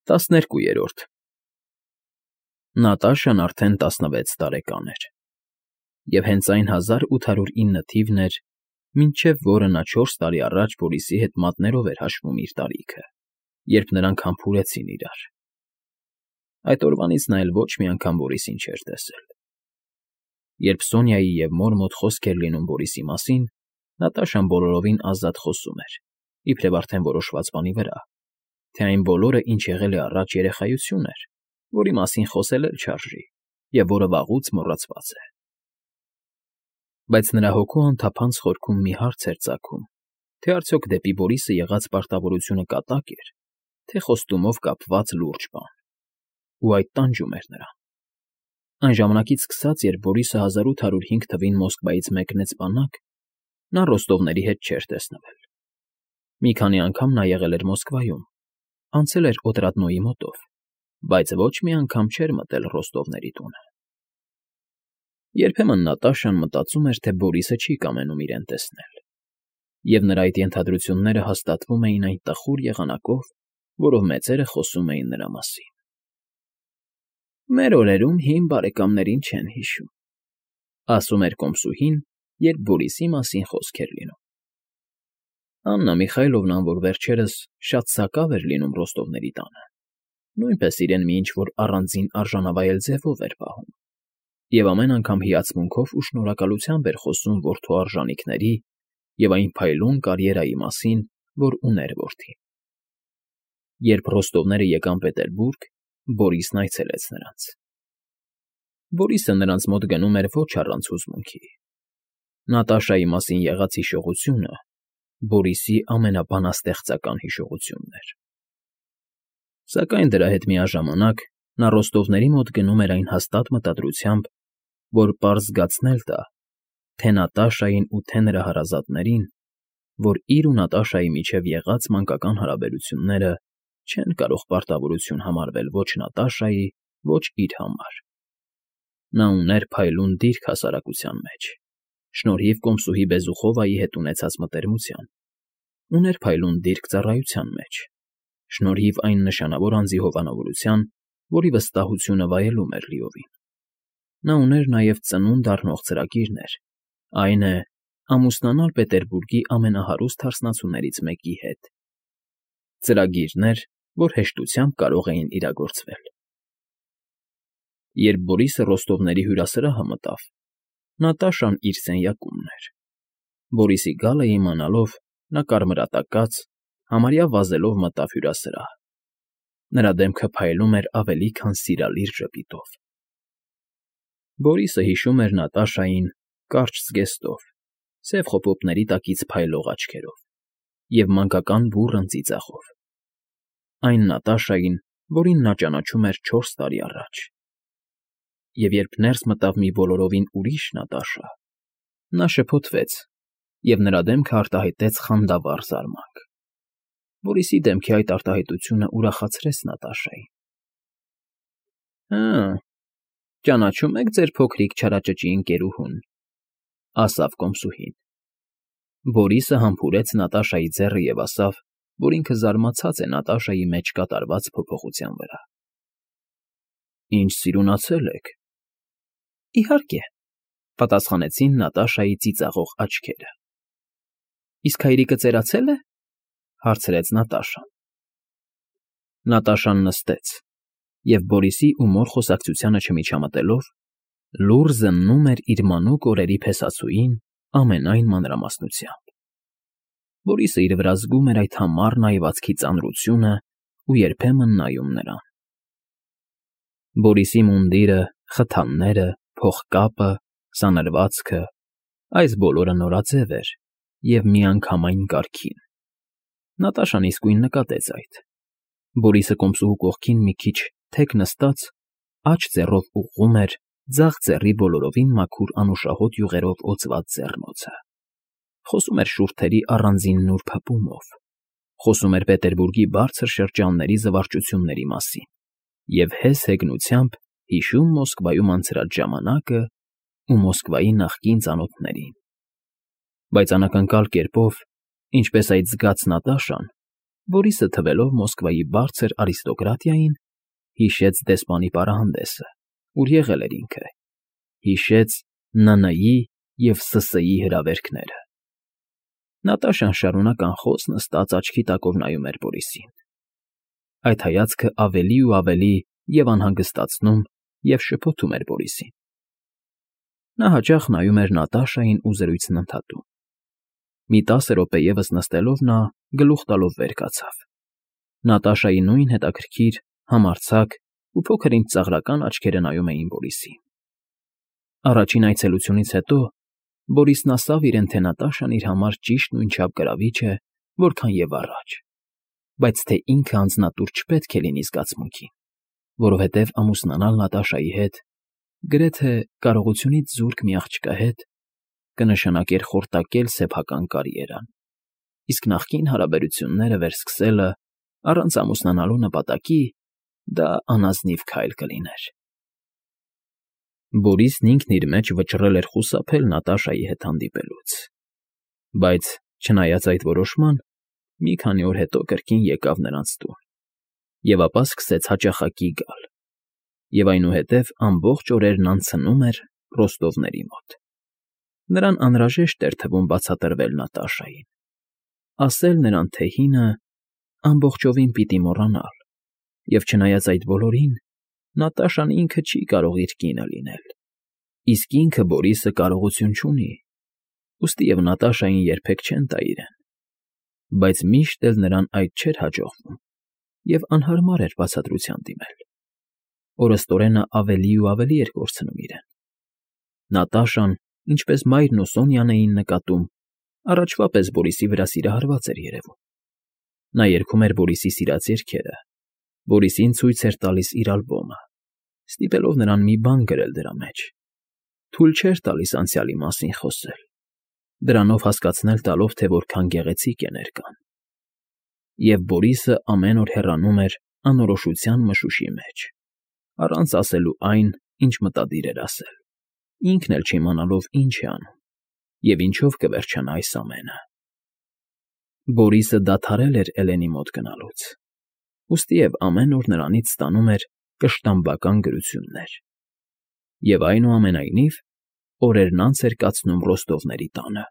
12-րդ Նատաշան արդեն 16 տարեկան էր, և հենց այն 1809 թիվն էր, մինչև որը նա 4 տարի առաջ Բորիսի հետ մատներով էր հաշվում իր տարիքը, երբ նրանք համբուրեցին իրար. այդ օրվանից նա էլ ոչ մի անգամ Բորիսին չէր տեսել։ Երբ Սոնյայի և մոր մոտ խոսք էր լինում Բորիսի մասին, Նատաշան բոլորովին ազատ խոսում էր, իբրև արդեն որոշված բանի վրա, թե այն բոլորը, ինչ եղել է առաջ, երեխայություն էր, որի մասին խոսել էլ չարժի, և որը վաղուց մոռացված է։ Բայց նրա հոգու անթափանց խորքում մի հարց էր ծագում, թե արդյոք դեպի Բորիսը եղած պարտավորությունը կատակ էր, թե խոստումով կապված լուրջ բան, ու այդ տանջում էր նրան։ Այն ժամանակից սկսած, երբ Բորիսը 1805 թվին Մոսկվայից մեկնեց բանակ, նա Ռոստովների հետ չէր տեսնվել։ Մի քանի անգամ նա եղել էր Մոսկվայում, անցել էր Օտրադնոյի մոտով, բայց ոչ մի անգամ չէր մտել Ռոստովների տունը։ Երբեմն Նատաշան մտածում էր, թե Բորիսը չի կամենում իրեն տեսնել, և նրա այդ ենթադրությունները հաստատվում էին այն տխուր եղանակով, որով մեծերը խոսում էին նրա մասին։ «Մեր օրերում հին բարեկամներին չեն հիշում», ասում էր կոմսուհին, երբ Բորիսի մասին խոսք էր լինում։ Աննա Միխայլովնան, որ վերջերս շատ սակավ էր լինում Ռոստովների տանը, նույնպես իրեն մի ինչ֊որ առանձին արժանավայել ձևով էր պահում, և ամեն անգամ հիացմունքով ու շնորհակալությամբ էր խոսում որդու արժանիքների և այն փայլուն կարիերայի մասին, որ ուներ որդին։ Երբ Ռոստովները եկան Պետերբուրգ, Բորիսն այցելեց նրանց։ Բորիսը նրանց մոտ գնում էր ոչ առանց հուզմունքի։ Նատաշայի մասին եղած հիշողությունը Բորիսի ամենաբանաստեղծական հիշողությունն էր։ Սակայն դրա հետ միաժամանակ նա Ռոստովների մոտ գնում էր այն հաստատ մտադրությամբ, որ պարզ զգացնել տա թե Նատաշային ու թե նրա հարազատներին, որ իր ու Նատաշայի միջև եղած մանկական հարաբերությունները չեն կարող պարտավորություն համարվել ոչ Նատաշայի, ոչ իր համար։ Նա ուներ փայլուն դիրք հասարակության մեջ, շնորհիվ կոմսուհի Բեզուխովայի հետ ունեցած մտերմության, ուներ փայլուն դիրք ծառայության մեջ, շնորհիվ այն նշանավոր անձի հովանավորության, որի վստահությունը վայելում էր լիովին։ Նա ուներ նաև ծնունդ առնող ծրագիրներ, այն է, ամուսնանալ Պետերբուրգի ամենահարուստ հարսնացուներից մեկի հետ։ Ծրագիրներ, որ հեշտությամբ կարող էին իրագործվել։ Երբ Բորիսը Ռոստովների հյուրասրահը մտավ, Նատաշան իր սենյակումն էր։ Բորիսի գալը իմանալով, նա կարմրատակած, համարյա վազելով մտավ հյուրասրահ։ Նրա դեմքը փայլում էր ավելի քան սիրալիր ժպիտով։ Բորիսը հիշում էր Նատաշային կարճ զգեստով, սև խոպոպների տակից փայլող աչքերով և մանկական բուռն ծիծաղով։ Այն Նատաշային, որին նա ճանաչում էր 4 տարի առաջ։ Եվ երբ ներս մտավ մի բոլորովին ուրիշ Նատաշա, նա շփոթվեց, և նրա դեմքը արտահայտեց խանդավառ զարմանք։ Բորիսի դեմքի այդ արտահայտությունը ուրախացրեց Նատաշային։ «Հը, ճանաչում եք ձեր փոքրիկ չարաճճի ընկերուհուն», ասավ կոմսուհին։ Բորիսը համբուրեց Նատաշայի ձեռը և ասավ, որ ինքը զարմացած է Նատաշայի մեջ կատարված փոփոխության վրա։ «Ինչ սիրունացել եք»։ «Իհարկե», պատասխանեցին Նատաշայի ծիծաղող աչքերը։ «Իսկ հայրիկը ծերացել է»։ Հարցրեց Նատաշան։ Նատաշան նստեց և Բորիսի ու մոր խոսակցությանը չմիջամտելով, լուռ զննում էր իր մանուկ օրերի փեսացուին ամենայն մանրամասնությամբ։ Բորիսը իր վրա զգում էր այդ համառ նայվածքի ծանրությունը ու երբեմն նայում նրան։ Բորիսի մունդիրը, խթանները, փողկապը, սանրվածքը, այս բոլորը նորաձև էր և միանգամայն կարգին։ Նատաշան իսկույն նկատեց այդ։ Բորիսը կոմսուհու կողքին մի քիչ թեք նստած, աջ ձեռով ուղղում էր ձախ ձեռի բոլորովին մաքուր անուշահոտ յուղերով օծված ձեռնոցը։ Խոսում էր շուրթերի առանձին նուրբ հպումով։ Խոսում էր Պետերբուրգի բարձր շրջանների զվարճությունների մասին և հես հեգնությամբ հիշում Մոսկվայում անցրած ժամանակը ու Մոսկվայի նախկին ծանոթներին։ Բայց անակնկալ կերպով, ինչպես այդ զգաց Նատաշան, Բորիսը թվելով Մոսկվայի բարձր արիստոկրատիային, հիշեց դեսպանի պարահանդեսը, ուր եղել էր ինքը, հիշեց ՆՆ-ի և ՍՍ-ի հրավերքները։ Նատաշան շարունակ անխոս նստած աչքի տակով նայում էր Բորիսին։ Այդ հայացքը ավելի ու ավելի և անհանգստացնում և շփոթում էր Բորիսին։ Նա հաճախ նայում էր Նատաշային ու զրույցն ընդհատում։ Մի 10 րոպե ևս նստելով նա, գլուխ տալով վեր կացավ։ Նատաշայի նույն հետաքրքիր, համարձակ ու փոքր-ինչ ծաղրական աչքերը նայում էին Բորիսին։ Առաջին այցելությունից հետո Բորիսն ասավ իրեն, թե Նատաշան իր համար ճիշտ նույնչափ գրավիչ է, որքան և առաջ, բայց թե ինքը անձնատուր չպետք է լինի զգացմունքին, որովհետև ամուսնանալ Նատաշայի հետ, գրեթե կարողությունից զուրկ մի աղջկա հետ, կնշանակեր խորտակել սեփական կարիերան, իսկ նախկին հարաբերությունները վերսկսելը առանց ամուսնանալու նպատակի դա անազնիվ քայլ կլիներ։ Բորիսն ինքն իր մեջ վճռել էր խուսափել Նատաշայի հետ հանդիպելուց, բայց, չնայած այդ որոշման, մի քանի օր հետո կրկին եկավ նրանց տուն, և ապա սկսեց հաճախակի գալ, և այնուհետև ամբողջ օրերն անցնում էր Ռոստովների մոտ։ Նրան անհրաժեշտ էր թվում բացատրվել Նատաշային, ասել նրան, թե հինը ամբողջովին պիտի մոռանալ, և չնայած այդ բոլորին, Նատաշան ինքը չի կարող իր կինը լինել, իսկ ինքը Բորիսը կարողություն չունի, ուստի և Նատաշային երբեք չեն տա իրեն, բայց միշտ էլ նրան այդ չէր հաջողվում, և անհարմար էր բացատրության դիմել։ Օրըստօրենը ավելի ու ավելի էր կորցնում իրեն։ Նատաշան, ինչպես մայրն ու Սոնյան էին նկատում, առաջվա պես Բորիսի վրա սիրահարված էր երևում։ Նա երգում էր Բորիսի սիրած երգերը, Բորիսին ցույց էր տալիս իր ալբոմը, ստիպելով նրան մի բան գրել դրա մեջ, թույլ չէր տալիս անցյալի մասին խոսել, դրանով հասկացնել տալով, թե որքան գեղեցիկ է ներկան։ Եվ Բորիսը ամեն օր հեռանում էր անորոշության մշուշի մեջ, առանց ասելու այն, ինչ մտադիր էր ասել, ինքն էլ չիմանալով ինչ է անում և ինչով կվերջանա այս ամենը։ Բորիսը դադարել էր Էլենի մոտ գնալուց, ուստիև ամեն օր նրանից ստանում էր կշտամբական գրություններ, և այնուամենայնիվ օրերն անց էր կացնում Ռոստովների տանը։